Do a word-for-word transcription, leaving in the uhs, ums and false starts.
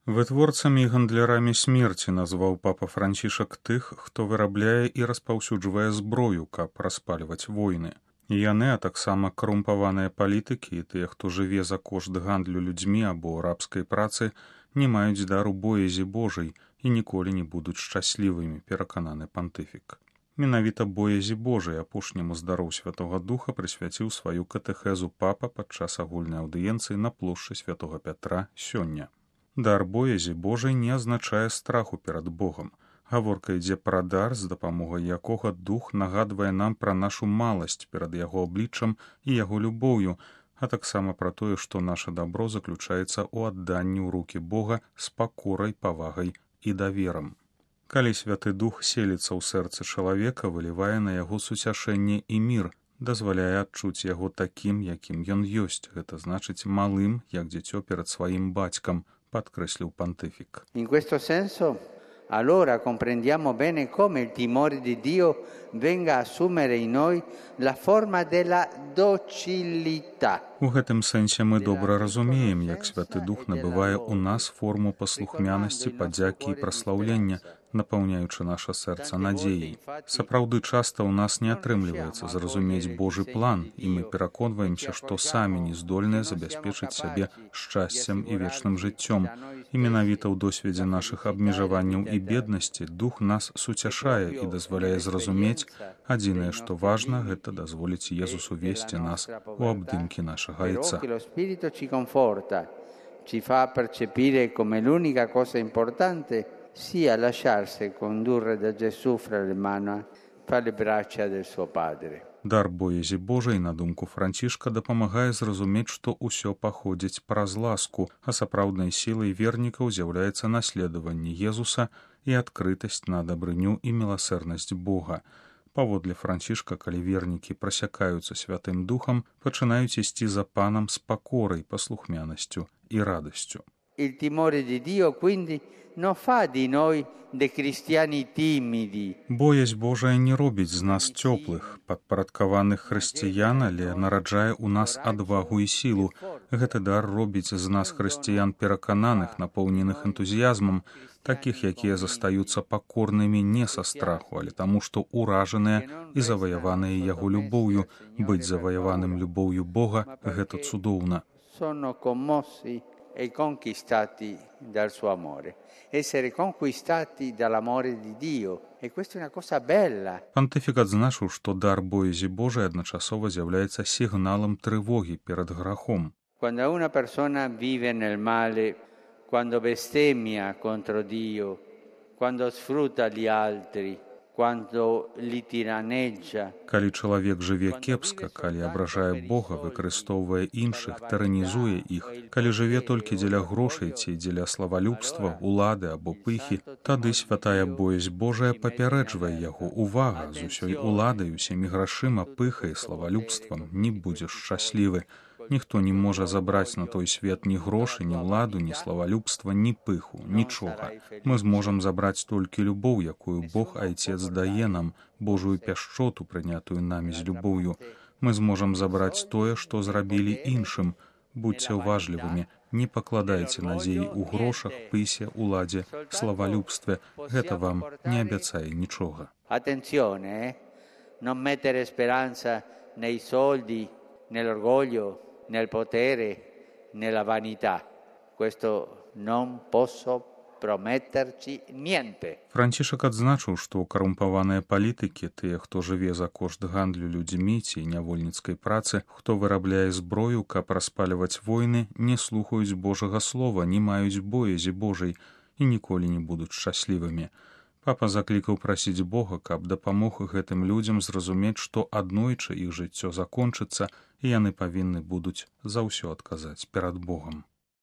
Вытворцамі і гандлярамі смерці назваў папа Францішак тых, хто вырабляе і распаўсюджвае зброю, каб распальваць войны. І яны, а таксама карумпаваныя палітыкі і тыя, хто жыве за кошт гандлю людзьмі або рабскай працы, не маюць дару боязі Божай і ніколі не будуць шчаслівымі, перакананы пантыфік. Менавіта боязі Божай апошняму здароў Святога Духа прысвяціў сваю катэхезу папа падчас агульнай аўдыенцыі на плошчы Святога Пятра сёння. Дар боязі Божай не азначае страху перад Богам. Гаворка ідзе пра дар, з дапамогай якога дух нагадвае нам пра нашу маласць перад яго абліччам і яго любоўю, а таксама пра тое, што наша дабро заключаецца ў адданні ў рукі Бога з пакорай, павагай і даверам. Калі Святы Дух селіцца ў сэрцы чалавека, вылівае на яго суцяшэнне і мір, дазваляе адчуць яго такім, якім ён ёсць, гэта значыць малым, як дзіцё перад сваім бацькам, подкреслил понтифик. In questo senso, allora comprendiamo bene come il timore di Dio venga a assumere in noi la forma della docilità. У гэтым сэнсе мы добра разумеем, як Святы Дух набывае ў нас форму паслухмянасці, падзякі і праслаўлення, напаўняючы наша сэрца надзеяй. Сапраўды часта ў нас не атрымліваецца зразумець Божы план, і мы пераконваемся, што самі не здольныя забяспечыць сябе шчасцем і вечным жыццём. І менавіта ў досведзе нашых абмежаванняў і беднасці Дух нас суцяшае і дазваляе зразумець, адзінае, што важна, гэта дазволіць Езусу весці нас у абдымкі нашага Айца. Ci fa percepire come l'unica cosa importante sia lasciarsi condurre da Gesù fra le mani, fra le braccia del suo Padre. Дар боязі Божай, на думку Францішка, дапамагае зразумець, што ўсё паходзіць праз ласку, а сапраўднай сілай вернікаў з'яўляецца наследаванне Езуса і адкрытасць на дабрыню і міласэрнасць Бога. Паводле Францішка, калі вернікі прасякаюцца Святым Духам, пачынаюць ісці за панам з пакорай, паслухмянасцю і радасцю. Il timore di Dio quindi non fa di noi dei cristiani timidi. Боязь Божая не робіць з нас цёплых, падпарадкаваных хрысціян, але нараджае ў нас адвагу і сілу. Гэты дар робіць з нас хрысціян перакананых, напоўненых энтузіязмам, такіх, якія застаюцца пакорнымі не са страху, але таму, што ўражаныя і заваяваныя яго любоўю. Быць заваяваным любоўю Бога – гэта цудоўна. Sono commossi e conquistati dal suo amore. Essere conquistati dall'amore di Dio. E questa è una cosa bella. Пантыфік адзначыў, што дар боязі Божай адначасова з'яўляецца сігналам трывогі перад грахом. Quando una persona vive nel male, quando bestemmia contro Dio, quando sfrutta gli altri, quando li tiraneggia. Калі чалавек жыве кепска, калі абражае Бога, выкарыстоўвае іншых, тыранізуе іх, калі жыве толькі дзеля грошай ці дзеля славалюбства, улады або пыхі, тады святая боязь Божая папярэджвае яго: увага, з усёй уладай, усімі грашыма, пыхай, славалюбствам не будзеш шчаслівы. Ніхто не можа забраць на той свет ні грошы, ні ўладу, ні славалюбства, ні пыху, нічога. Мы зможам забраць толькі любоў, якую Бог Айцец дае нам, Божую пяшчоту, прынятую намі з любоўю. Мы зможам забраць тое, што зрабілі іншым. Будьце ўважлівымі, не пакладайце надзеі ў грошах, пысе, уладзе, славалюбстве. Гэта вам не абяцае нічога. Attenzione, eh? Non mettere speranza nei soldi, nell'orgoglio, nel potere, nella vanità. Questo non posso prometterci niente. Францішак адзначыў, што карумпаваныя палітыкі, тыя, хто жыве за кошт гандлю людзьмі ці нявольніцкай працы, хто вырабляе зброю, каб распальваць войны, не слухаюць Божага слова, не маюць боязі Божай і ніколі не будуць шчаслівымі. Папа заклікаў прасіць Бога, каб дапамог гэтым людзям зразумець, што аднойчы іх жыццё закончыцца, і яны павінны будуць за ўсё адказаць перад Богам.